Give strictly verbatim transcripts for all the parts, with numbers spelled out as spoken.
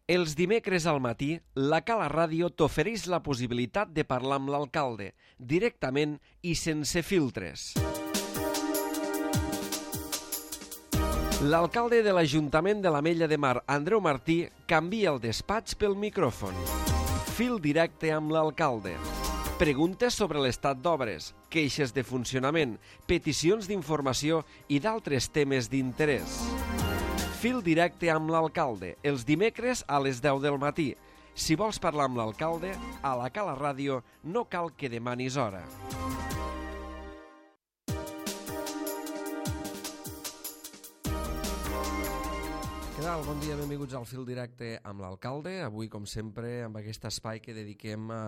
Els dimecres al matí, la Cala Ràdio t'ofereix la possibilitat de parlar amb l'alcalde, directament i sense filtres. L'alcalde de l'Ajuntament de l'Ametlla de Mar, Andreu Martí, canvia el despatx pel micròfon. Fil directe amb l'alcalde. Preguntes sobre l'estat d'obres, queixes de funcionament, peticions d'informació i d'altres temes d'interès. Fil directe amb l'alcalde, els dimecres a les deu del matí. Si vols parlar amb l'alcalde, a la Cala Ràdio no cal que demanis hora. Què tal? Bon dia, benvinguts al Fil Directe amb l'alcalde. Avui, com sempre, amb aquest espai que dediquem a,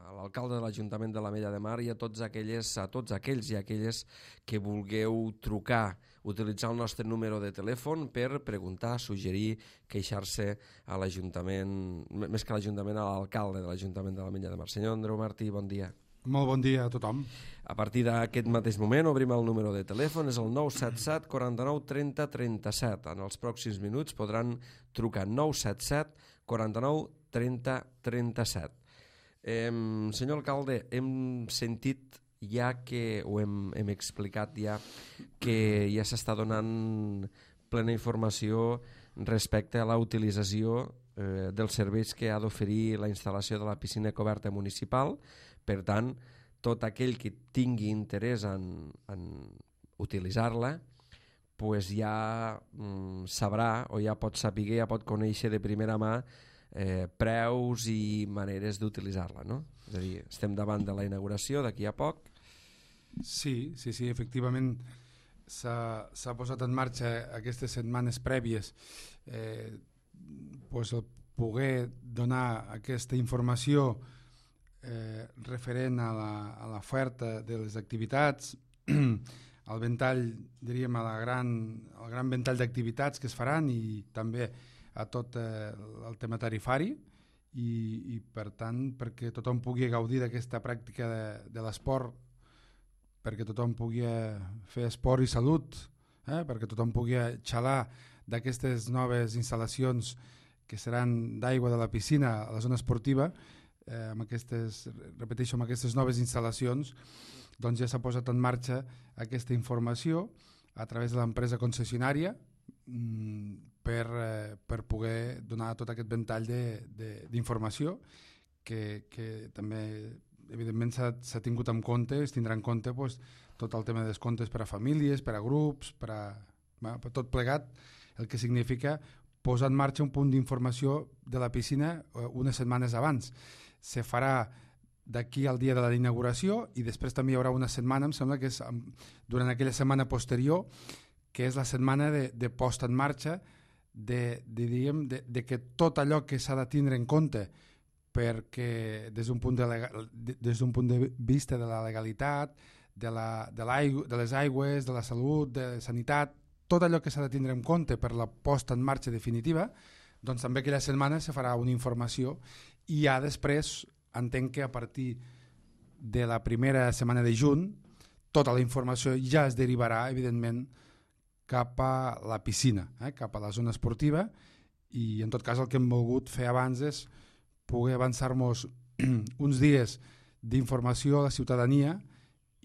a l'alcalde de l'Ajuntament de l'Ametlla de Mar i a tots aquelles, a tots aquells i aquelles que vulgueu trucar, utilitzar el nostre número de telèfon per preguntar, suggerir, queixar-se a l'Ajuntament, més que a l'Ajuntament, a l'alcalde de l'Ajuntament de l'Ametlla de Mar. Senyor Andreu Martí, bon dia. Molt bon dia a tothom. A partir d'aquest mateix moment obrim el número de telèfon, és el nou set set, quaranta-nou, trenta, trenta-set. En els pròxims minuts podran trucar nou set set, quaranta-nou, trenta, trenta-set. Eh, senyor alcalde, hem sentit ja que, o hem, hem explicat ja, que ja s'està donant plena informació respecte a la utilització eh, dels serveis que ha d'oferir la instal·lació de la piscina coberta municipal. Per tant, tot aquell que tingui interès en, en utilitzar-la pues ja mm, sabrà o ja pot saber, ja pot conèixer de primera mà eh, preus i maneres d'utilitzar-la, no? És a dir, estem davant de la inauguració d'aquí a poc. Sí, sí, sí, efectivament s'ha, s'ha posat en marxa aquestes setmanes prèvies eh, pues el poder donar aquesta informació Eh, referent a l'oferta de les activitats, al ventall, diríem, a la gran, al gran ventall d'activitats que es faran i també a tot eh, el tema tarifari i, i per tant perquè tothom pugui gaudir d'aquesta pràctica de, de l'esport, perquè tothom pugui fer esport i salut, eh, perquè tothom pugui xalar d'aquestes noves instal·lacions que seran d'aigua de la piscina a la zona esportiva. Eh, amb aquestes, repeteixo, amb aquestes noves instal·lacions, doncs ja s'ha posat en marxa aquesta informació a través de l'empresa concessionària mm, per, eh, per poder donar tot aquest ventall d'informació que, que també evidentment s'ha, s'ha tingut en compte, es tindrà en compte pues, tot el tema de descomptes per a famílies, per a grups, per a, bueno, per tot plegat, el que significa posar en marxa un punt d'informació de la piscina eh, unes setmanes abans. Se farà d'aquí al dia de la inauguració i després també hi haurà una setmana, em sembla que és durant aquella setmana posterior, que és la setmana de, de posta en marxa de, de, diguem, de, de que tot allò que s'ha de tindre en compte perquè des d'un punt de, legal, de, des d'un punt de vista de la legalitat, de, la, de, de les aigües, de la salut, de la sanitat, tot allò que s'ha de tindre en compte per la posta en marxa definitiva, doncs també aquella setmana se farà una informació i ja després entenc que a partir de la primera setmana de juny tota la informació ja es derivarà evidentment cap a la piscina, eh, cap a la zona esportiva i en tot cas el que hem volgut fer abans és poder avançar-nos uns dies d'informació a la ciutadania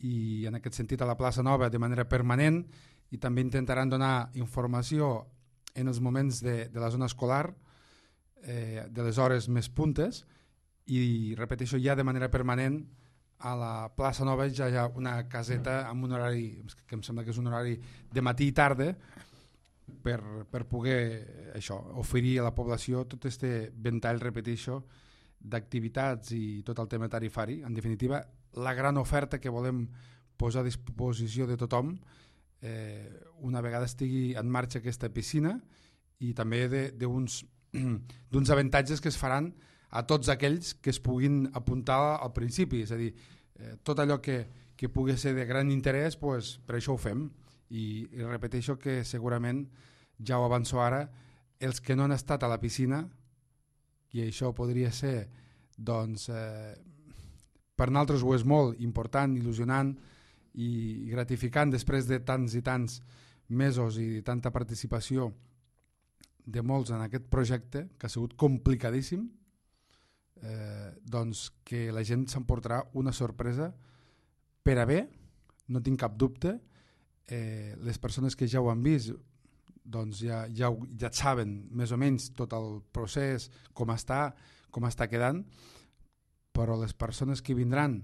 i en aquest sentit a la plaça Nova de manera permanent i també intentaran donar informació en els moments de, de la zona escolar, eh, de les hores més puntes i repeteixo ja de manera permanent a la plaça Nova ja hi ha una caseta amb un horari que em sembla que és un horari de matí i tarda per, per poder això, oferir a la població tot este ventall, repeteixo, d'activitats i tot el tema tarifari. En definitiva, la gran oferta que volem posar a disposició de tothom eh, una vegada estigui en marxa aquesta piscina i també d'uns d'uns avantatges que es faran a tots aquells que es puguin apuntar al principi, és a dir, eh, tot allò que, que pugui ser de gran interès, pues, per això ho fem i, i repeteixo que segurament ja ho avanço ara, els que no han estat a la piscina i això podria ser doncs eh, per nosaltres ho és molt important, il·lusionant i gratificant després de tants i tants mesos i tanta participació de molts en aquest projecte, que ha sigut complicadíssim, eh, doncs que la gent s'emportarà una sorpresa per a bé, no tinc cap dubte. Eh, les persones que ja ho han vist doncs ja, ja, ja saben més o menys tot el procés, com està, com està quedant, però les persones que vindran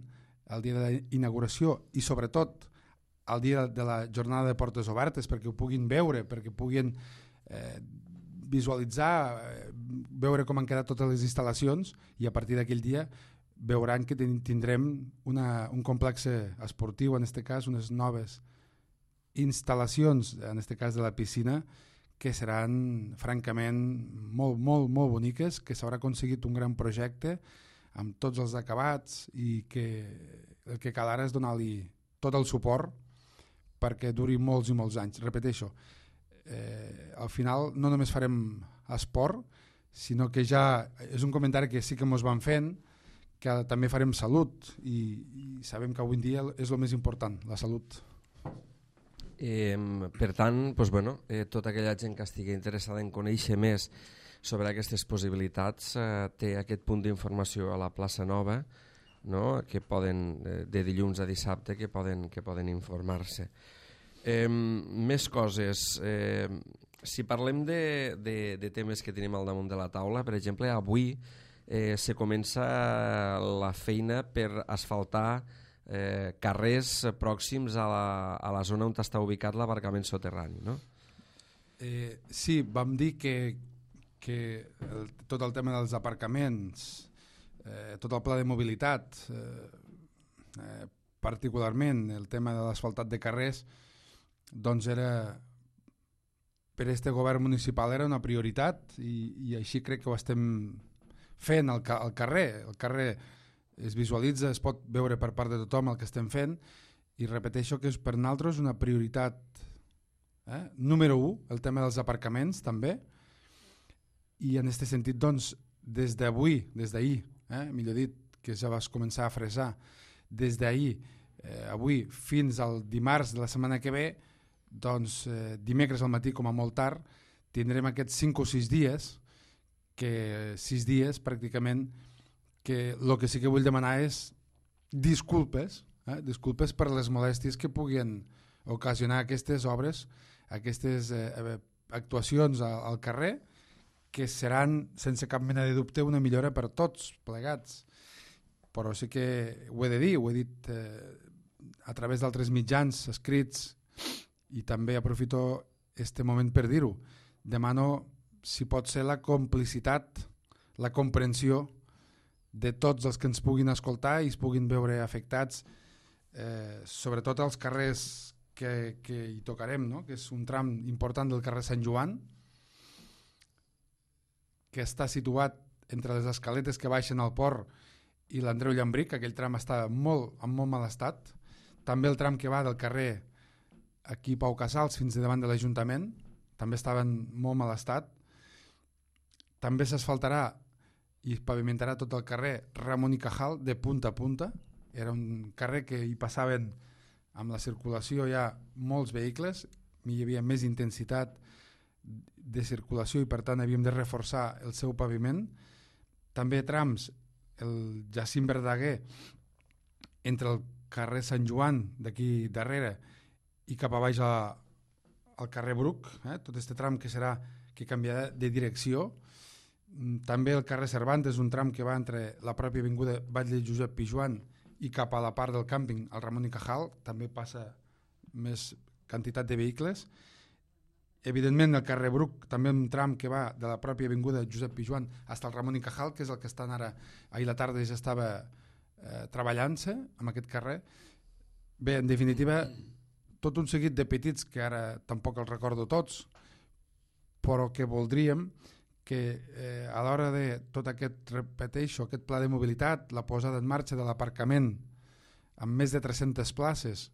el dia de la inauguració i sobretot el dia de la jornada de portes obertes perquè ho puguin veure, perquè puguin eh, visualitzar, eh, veure com han quedat totes les instal·lacions, i a partir d'aquell dia veuran que tindrem una, un complex esportiu, en aquest cas unes noves instal·lacions, en aquest cas de la piscina, que seran francament molt, molt, molt boniques, que s'haurà aconseguit un gran projecte amb tots els acabats i que el que cal ara és donar-li tot el suport perquè duri molts i molts anys. Repeteixo, eh, al final no només farem esport, sinó que ja és un comentari que sí que ens van fent, que també farem salut i, i sabem que avui en dia és el més important, la salut. Eh, per tant, doncs, bueno, eh, tota aquella gent que estigui interessada en conèixer més sobre aquestes possibilitats eh, té aquest punt d'informació a la plaça Nova, no? Que poden, eh, de dilluns a dissabte, que poden, que poden informar-se. Eh, més coses. Eh, si parlem de, de, de temes que tenim al damunt de la taula, per exemple, avui eh, se comença la feina per asfaltar eh, carrers pròxims a la, a la zona on està ubicat l'aparcament soterrani, no? Eh, sí, vam dir que, que el, tot el tema dels aparcaments, eh, tot el pla de mobilitat, eh, eh, particularment el tema de l'asfaltat de carrers, doncs era, per este govern municipal era una prioritat i, i així crec que ho estem fent al, al carrer. El carrer es visualitza, es pot veure per part de tothom el que estem fent, i repeteixo que és per nosaltres una prioritat. Eh? Número u, el tema dels aparcaments també, i en aquest sentit doncs des d'avui, des d'ahir, eh? millor dit, que ja vas començar a fresar, des d'ahir, eh, avui fins al dimarts de la setmana que ve, doncs eh, dimecres al matí com a molt tard tindrem aquests cinc o sis dies, que sis dies pràcticament, que el que sí que vull demanar és disculpes, eh? disculpes per les molèsties que puguin ocasionar aquestes obres, aquestes eh, actuacions al, al carrer, que seran, sense cap mena de dubte, una millora per tots plegats. Però sí que ho he de dir, ho he dit eh, a través d'altres mitjans escrits, i també aprofito este moment per dir-ho. Demano, si pot ser, la complicitat, la comprensió de tots els que ens puguin escoltar i es puguin veure afectats, eh, sobretot als carrers que, que hi tocarem, no? Que és un tram important del carrer Sant Joan, que està situat entre les escaletes que baixen al port i l'Andreu Llambric. Aquell tram està molt, en molt mal estat. També el tram que va del carrer aquí Pau Casals fins davant de l'Ajuntament també estava en molt mal estat. També s'asfaltarà i pavimentarà tot el carrer Ramon i Cajal de punta a punta. Era un carrer que hi passaven amb la circulació ja molts vehicles, hi havia més intensitat de circulació i per tant havíem de reforçar el seu paviment. També trams, el Jacint Verdaguer entre el carrer Sant Joan d'aquí darrere i cap a baix a, al carrer Bruc, eh? tot aquest tram que serà que canviarà de direcció. També el carrer Cervantes, un tram que va entre la pròpia avinguda Batlle Josep Pijuan i cap a la part del càmping al Ramon i Cajal, també passa més quantitat de vehicles. Evidentment el carrer Bruc, també un tram que va de la pròpia avinguda Josep Pijuan fins al Ramon i Cajal, que és el que estan ara, ahir la tarda ja estava eh, treballant-se amb aquest carrer. Bé, en definitiva, tot un seguit de petits que ara tampoc els recordo tots, però que voldríem que eh, a l'hora de tot aquest, repeteixo, aquest pla de mobilitat, la posada en marxa de l'aparcament amb més de tres-centes places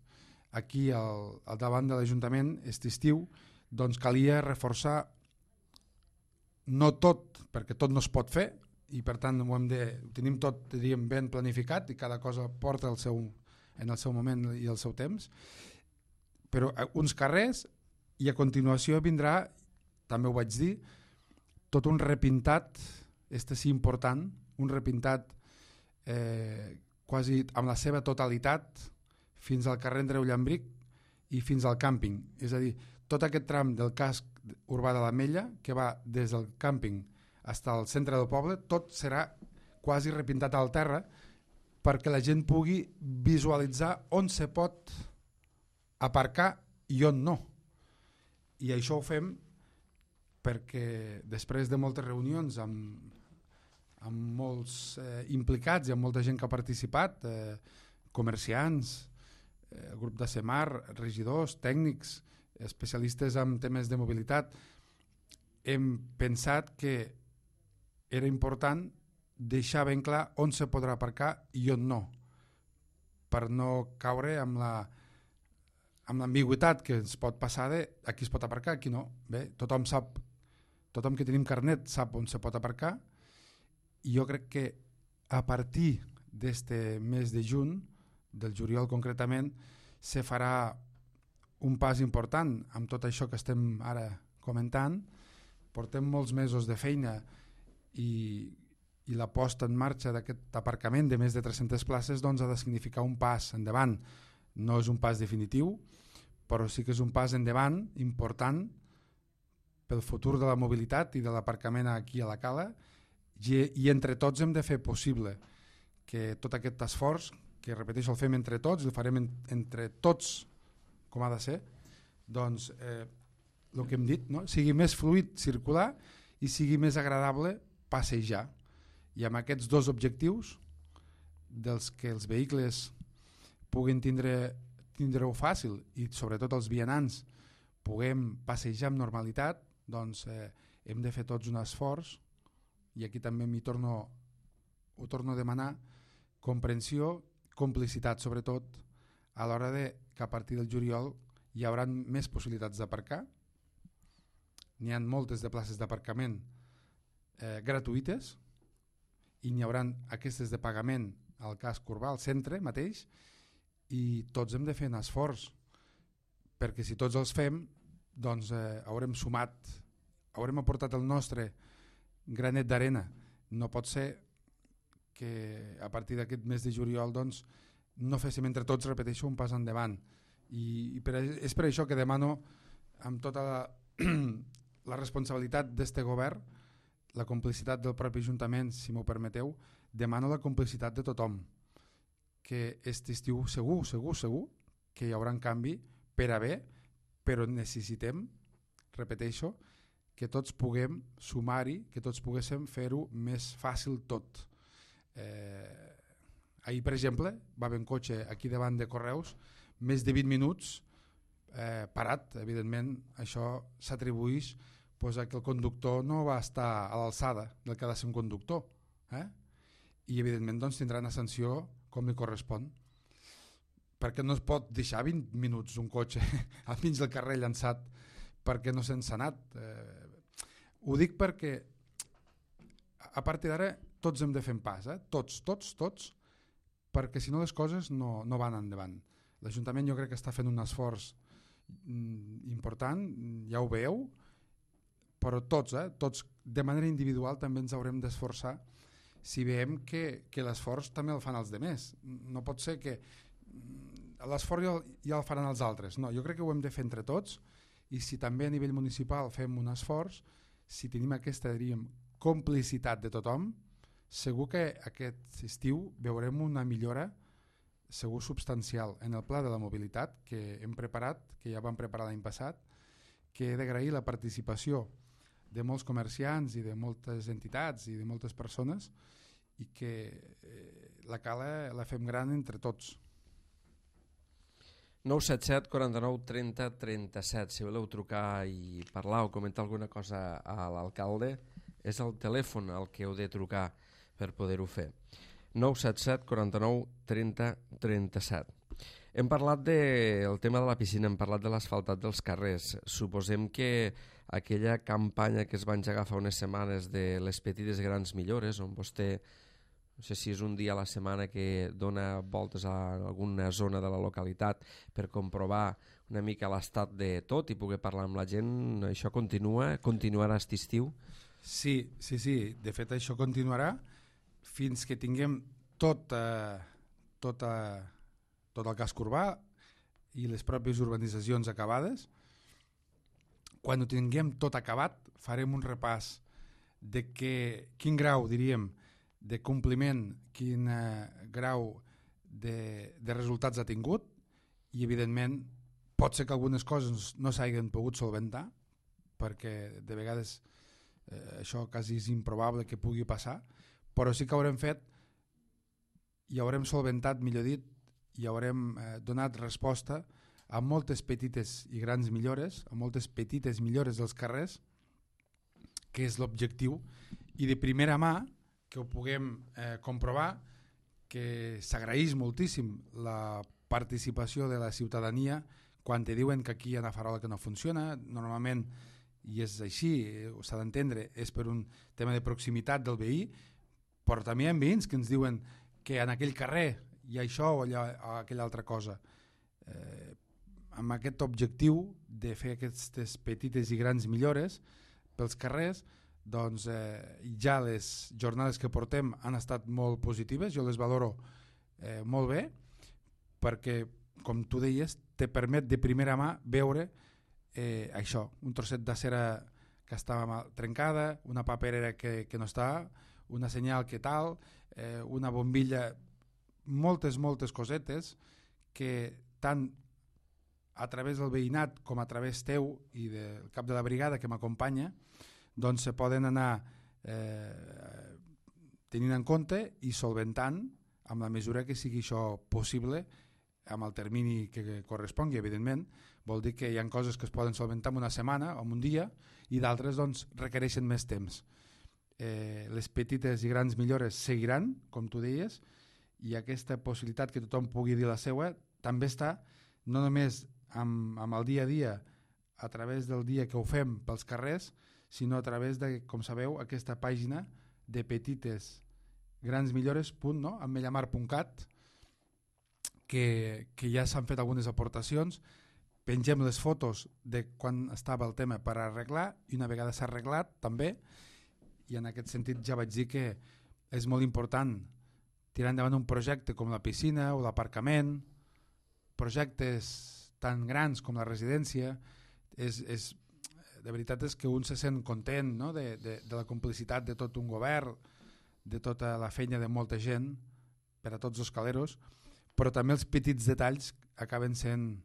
aquí al, al davant de l'Ajuntament aquest estiu, doncs calia reforçar no tot, perquè tot no es pot fer i per tant ho, hem de, ho tenim tot, diríem, ben planificat i cada cosa porta el seu, en el seu moment i el seu temps, però uns carrers, i a continuació vindrà, també ho vaig dir, tot un repintat, este sí important, un repintat eh, quasi amb la seva totalitat fins al carrer Andreu Llambric i fins al càmping. És a dir, tot aquest tram del casc urbà de l'Ametlla, que va des del càmping fins al centre del poble, tot serà quasi repintat al terra perquè la gent pugui visualitzar on se pot aparcar i on no. I això ho fem perquè després de moltes reunions amb, amb molts eh, implicats i amb molta gent que ha participat, eh, comerciants, eh, grup de Semar, regidors, tècnics, especialistes en temes de mobilitat, hem pensat que era important deixar ben clar on se podrà aparcar i on no, per no caure amb la amb l'ambigüitat que ens pot passar de aquí es pot aparcar, aquí no. Bé, tothom sap, tothom que tenim carnet sap on se pot aparcar, i jo crec que a partir d'este mes de juny, del juliol concretament, se farà un pas important amb tot això que estem ara comentant. Portem molts mesos de feina i, i la posta en marxa d'aquest aparcament de més de tres-centes places doncs, ha de significar un pas endavant. No és un pas definitiu, però sí que és un pas endavant important pel futur de la mobilitat i de l'aparcament aquí a la Cala, i, i entre tots hem de fer possible que tot aquest esforç, que repeteixo el fem entre tots, el farem en, entre tots com ha de ser, doncs eh, el que hem dit, no? Sigui més fluid circular i sigui més agradable passejar. I amb aquests dos objectius, dels que els vehicles puguin tindre tindre-ho fàcil i sobretot els vianants puguem passejar amb normalitat, doncs eh, hem de fer tots un esforç, i aquí també m'hi torno, ho torno a demanar, comprensió, complicitat sobretot, a l'hora de que a partir del juliol hi haurà més possibilitats d'aparcar. N'hi ha moltes de places d'aparcament eh, gratuïtes i n'hi haurà aquestes de pagament al casc urbà, al centre mateix, i tots hem de fer un esforç, perquè si tots els fem doncs eh, haurem sumat, haurem aportat el nostre granet d'arena. No pot ser que a partir d'aquest mes de juliol doncs, no féssim entre tots, repeteixo, un pas endavant. I, i per, és per això que demano amb tota la, la responsabilitat d'este govern, la complicitat del propi Ajuntament, si m'ho permeteu, demano la complicitat de tothom, que aquest estiu segur, segur, segur que hi haurà un canvi per a bé, però necessitem, repeteixo, que tots puguem sumar-hi, que tots poguéssim fer-ho més fàcil tot. Eh, ahir, per exemple, va haver un cotxe aquí davant de Correus, més de vint minuts eh, parat. Evidentment, això s'atribueix pues, a que el conductor no va estar a l'alçada del que ha de ser un conductor. Eh? I, evidentment, doncs, tindrà una sanció com li correspon, perquè no es pot deixar vint minuts un cotxe al mig del carrer llançat perquè no s'ha encenat. Eh, ho dic perquè a partir d'ara tots hem de fer un pas, eh? tots, tots, tots, perquè si no les coses no, no van endavant. L'Ajuntament jo crec que està fent un esforç important, ja ho veieu, però tots, eh? tots de manera individual també ens haurem d'esforçar si veiem que, que l'esforç també el fan els demés. No pot ser que l'esforç ja, ja el faran els altres. No, jo crec que ho hem de fer entre tots, i si també a nivell municipal fem un esforç, si tenim aquesta, diríem, complicitat de tothom, segur que aquest estiu veurem una millora segur substancial en el pla de la mobilitat que hem preparat, que ja vam preparar l'any passat, que he d'agrair la participació de molts comerciants i de moltes entitats i de moltes persones, i que eh, la Cala la fem gran entre tots. nou set set, quaranta-nou, trenta, trenta-set. Si voleu trucar i parlar o comentar alguna cosa a l'alcalde, és el telèfon al que heu de trucar per poder-ho fer. nou set set, quaranta-nou, trenta, trenta-set. Hem parlat del tema de la piscina, hem parlat de l'asfaltat dels carrers. Suposem que aquella campanya que es va engegar fa unes setmanes de les petites grans millores, on vostè, no sé si és un dia a la setmana que dona voltes a alguna zona de la localitat per comprovar una mica l'estat de tot i poder parlar amb la gent, això continua, continuarà aquest estiu? Sí, sí, sí. De fet, això continuarà fins que tinguem tot, eh, tot, eh, tot el casc urbà i les pròpies urbanitzacions acabades. Quan ho tinguem tot acabat, farem un repàs de que, quin grau, diríem, de compliment, quin eh, grau de, de resultats ha tingut, i evidentment pot ser que algunes coses no s'hagin pogut solventar, perquè de vegades eh, això quasi és improbable que pugui passar, però sí que haurem fet i haurem solventat, millor dit, i haurem eh, donat resposta a moltes petites i grans millores, a moltes petites millores dels carrers, que és l'objectiu, i de primera mà que ho puguem eh, comprovar, que s'agraeix moltíssim la participació de la ciutadania quan te diuen que aquí hi ha una farola que no funciona. Normalment, i és així, s'ha d'entendre, és per un tema de proximitat del veí, però també hi ha veïns que ens diuen que en aquell carrer hi ha això o allà, o aquella altra cosa. Eh, amb aquest objectiu de fer aquestes petites i grans millores pels carrers, doncs eh, ja les jornades que portem han estat molt positives, jo les valoro eh, molt bé, perquè, com tu deies, te permet de primera mà veure eh, això, un trosset de cera que estava mal trencada, una paperera que, que no està, una senyal que tal, eh, una bombilla, moltes, moltes cosetes que tant a través del veïnat com a través teu i del cap de la brigada que m'acompanya, doncs se poden anar eh, tenint en compte i solventant amb la mesura que sigui això possible amb el termini que correspongui, evidentment. Vol dir que hi ha coses que es poden solventar en una setmana o en un dia i d'altres doncs, requereixen més temps. Eh, les petites i grans millores seguiran, com tu deies, i aquesta possibilitat que tothom pugui dir la seva també està no només amb, amb el dia a dia, a través del dia que ho fem pels carrers, sinó a través de, com sabeu, aquesta pàgina de petites grans millores punt no? amellamar punt cat, que, que ja s'han fet algunes aportacions. Pengem les fotos de quan estava el tema per arreglar i una vegada s'ha arreglat també, i en aquest sentit ja vaig dir que és molt important tirar endavant un projecte com la piscina o l'aparcament, projectes tan grans com la residència. És, és, de veritat és que un se sent content, no? de, de, de la complicitat de tot un govern, de tota la feina de molta gent per a tots els caleros, però també els petits detalls acaben sent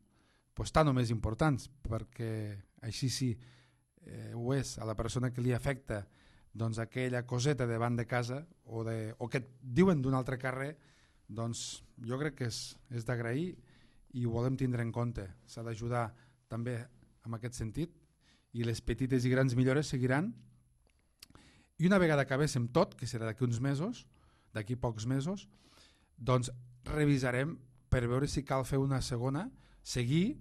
pues, tan o més importants, perquè així sí eh, ho és a la persona que li afecta doncs, aquella coseta davant de casa o, de, o que et diuen d'un altre carrer, doncs jo crec que és, és d'agrair i ho volem tindre en compte. S'ha d'ajudar també en aquest sentit i les petites i grans millores seguiran. I una vegada acabéssim tot, que serà d'aquí uns mesos, d'aquí pocs mesos, doncs revisarem per veure si cal fer una segona, seguir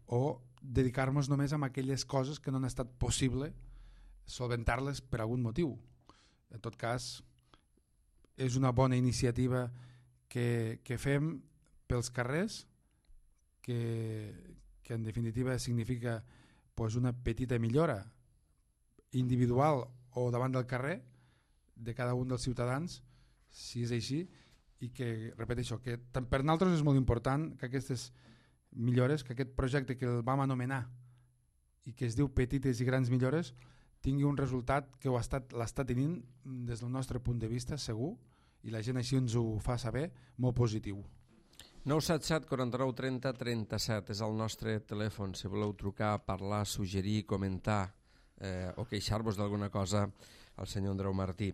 o dedicar-nos només a aquelles coses que no han estat possible solventar-les per algun motiu. En tot cas, és una bona iniciativa que, que fem pels carrers, que, que en definitiva significa pues, una petita millora individual o davant del carrer de cada un dels ciutadans, si és així, i que, repeteixo, que per nosaltres és molt important que aquestes millores, que aquest projecte que el vam anomenar i que es diu Petites i Grans Millores, tingui un resultat que ho l'està tenint des del nostre punt de vista segur, i la gent així ens ho fa saber, molt positiu. nou set set quaranta-nou trenta trenta-set és el nostre telèfon, si voleu trucar, parlar, suggerir, comentar eh, o queixar-vos d'alguna cosa al senyor Andreu Martí.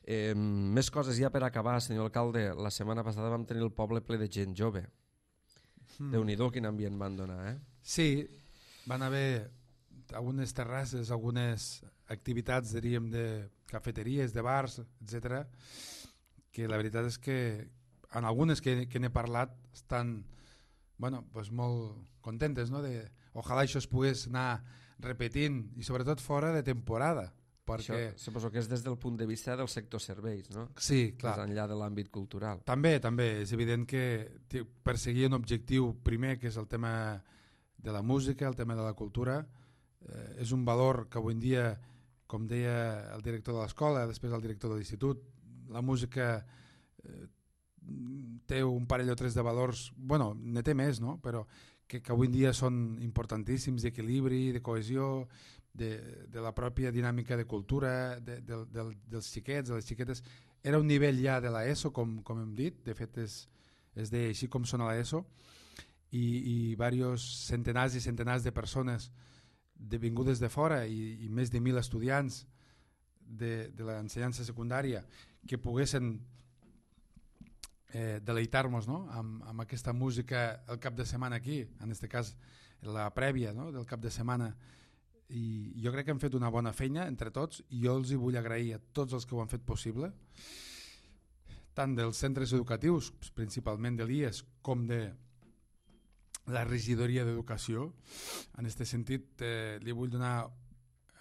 Eh, més coses ja per acabar, senyor alcalde. La setmana passada vam tenir el poble ple de gent jove. Mm. Déu-n'hi-do quin ambient van donar, eh? Sí, van haver algunes terrasses, algunes activitats, diríem, de cafeteries, de bars, etcètera, que la veritat és que en algunes que, que n'he parlat estan bueno, pues molt contentes, no? De, ojalà això es pogués anar repetint i sobretot fora de temporada. Perquè... Això suposo que és des del punt de vista del sector serveis, no? Sí, clar. Més enllà de l'àmbit cultural. També, també. És evident que perseguir un objectiu primer, que és el tema de la música, el tema de la cultura, eh, és un valor que avui en dia, com deia el director de l'escola, després el director de l'institut, la música eh, té un parell o tres de valors, bueno, ne té més, no? Però que, que avui en dia són importantíssims, d'equilibri, de cohesió, de, de la pròpia dinàmica de cultura, de, de, de, dels xiquets, de les xiquetes. Era un nivell ja de l'ESO, com, com hem dit, de fet és, es deia així com sona l'ESO, i, i diversos centenars i centenars de persones vingudes de fora i, i més de mil estudiants de, de l'ensenyança secundària que poguessin eh, deleitar-nos, no? amb, amb aquesta música el cap de setmana aquí, en aquest cas la prèvia, no? del cap de setmana. I jo crec que hem fet una bona feina entre tots i jo els hi vull agrair a tots els que ho han fet possible, tant dels centres educatius, principalment de l'I E S, com de la regidoria d'educació. En aquest sentit eh, li vull donar,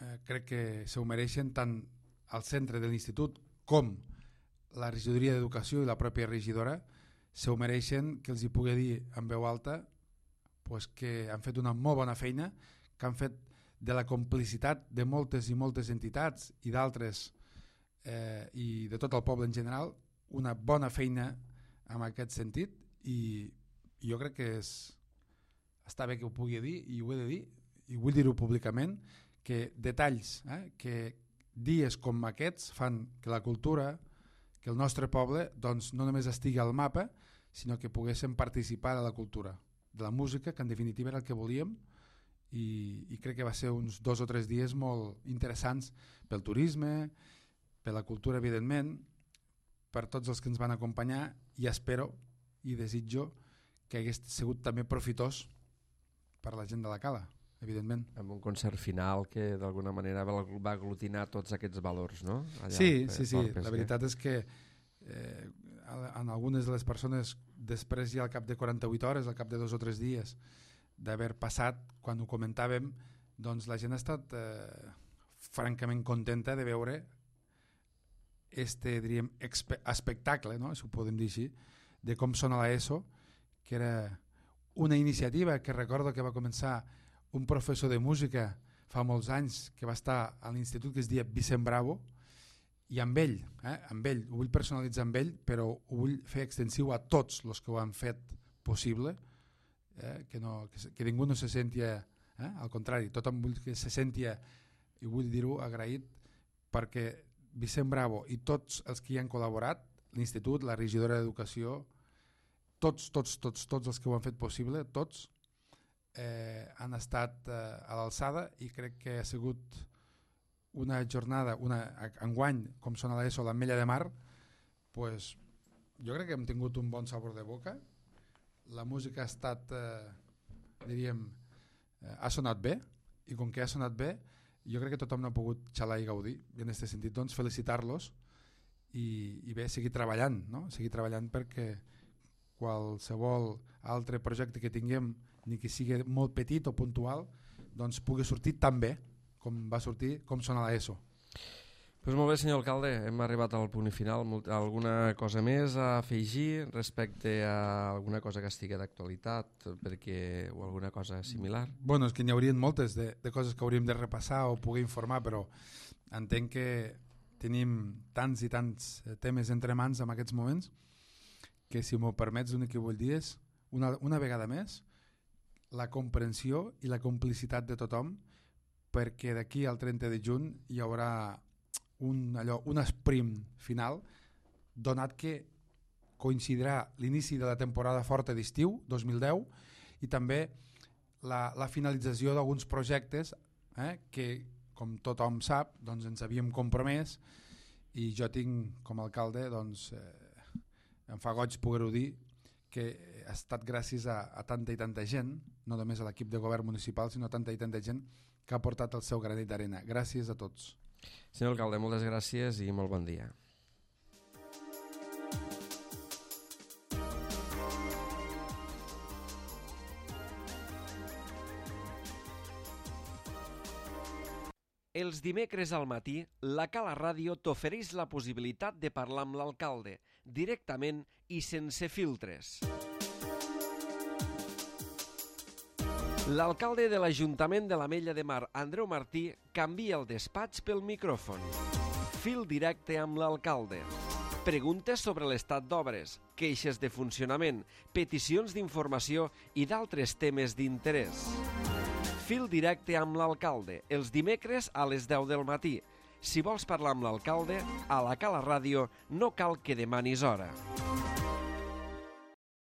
eh, crec que se ho mereixen tant al centre de l'institut com la regidoria d'educació i la pròpia regidora, se ho mereixen que els hi pugui dir en veu alta pues, que han fet una molt bona feina, que han fet de la complicitat de moltes i moltes entitats i d'altres eh, i de tot el poble en general una bona feina en aquest sentit i jo crec que és, està bé que ho pugui dir i ho he de dir i vull dir-ho públicament que detalls, eh, que dies com aquests fan que la cultura, que el nostre poble doncs, no només estigui al mapa sinó que poguéssim participar de la cultura, de la música, que en definitiva era el que volíem. I, i crec que va ser uns dos o tres dies molt interessants pel turisme, per la cultura evidentment, per tots els que ens van acompanyar i espero i desitjo que hagués sigut també profitós per la gent de la Cala, evidentment. Amb un concert final que d'alguna manera va aglutinar tots aquests valors, no? Allà sí, sí, sí, la veritat és que eh, en algunes de les persones després ja al cap de quaranta-vuit hores, al cap de dos o tres dies d'haver passat, quan ho comentàvem, doncs la gent ha estat eh, francament contenta de veure este, diríem, espectacle, no? Si ho podem dir així, de com sona l'ESO, que era una iniciativa que recordo que va començar un professor de música fa molts anys que va estar a l'institut que es deia Vicent Bravo, i amb ell, eh, amb ell, ho vull personalitzar amb ell, però ho vull fer extensiu a tots els que ho han fet possible, Eh, que, no, que, que ningú no se sentia, eh, al contrari, tothom vull que se sentia, i vull dir-ho agraït, perquè Vicent Bravo i tots els que hi han col·laborat, l'institut, la regidora d'educació, tots, tots, tots, tots els que ho han fet possible, tots eh, han estat eh, a l'alçada i crec que ha sigut una jornada, una, enguany, com sona l'ESO, l'Ametlla de Mar, pues, jo crec que hem tingut un bon sabor de boca. La música ha estat, eh, diríem, eh, ha sonat bé, i com que ha sonat bé, jo crec que tothom n'ha pogut xalar i gaudir, i en aquest sentit doncs, felicitar-los i, i bé, seguir treballant, no? Seguir treballant perquè qualsevol altre projecte que tinguem, ni que sigui molt petit o puntual, doncs pugui sortir tan bé com va sortir, com sona l'ESO. Pues molt bé, senyor alcalde, hem arribat al punt final. Alguna cosa més a afegir respecte a alguna cosa que estigui d'actualitat perquè, o alguna cosa similar? Bueno, és que n'hi haurien moltes de, de coses que hauríem de repassar o poder informar, però entenc que tenim tants i tants temes entre mans en aquests moments que, si m'ho permets, l'únic que vull dir és, una, una vegada més, la comprensió i la complicitat de tothom, perquè d'aquí al trenta de juny hi haurà un, allò, un sprint final, donat que coincidirà l'inici de la temporada forta d'estiu dos mil deu i també la, la finalització d'alguns projectes eh, que, com tothom sap, doncs ens havíem compromès i jo tinc com a alcalde, doncs, eh, em fa goig poder-ho dir, que ha estat gràcies a, a tanta i tanta gent, no només a l'equip de govern municipal, sinó a tanta i tanta gent que ha portat el seu granet d'arena. Gràcies a tots. Senyor alcalde, moltes gràcies i molt bon dia. Els dimecres al matí, la Cala Ràdio t'ofereix la possibilitat de parlar amb l'alcalde, directament i sense filtres. L'alcalde de l'Ajuntament de l'Ametlla de Mar, Andreu Martí, canvia el despatx pel micròfon. Fil directe amb l'alcalde. Preguntes sobre l'estat d'obres, queixes de funcionament, peticions d'informació i d'altres temes d'interès. Fil directe amb l'alcalde, els dimecres a les deu del matí. Si vols parlar amb l'alcalde, a la Cala Ràdio no cal que demanis hora.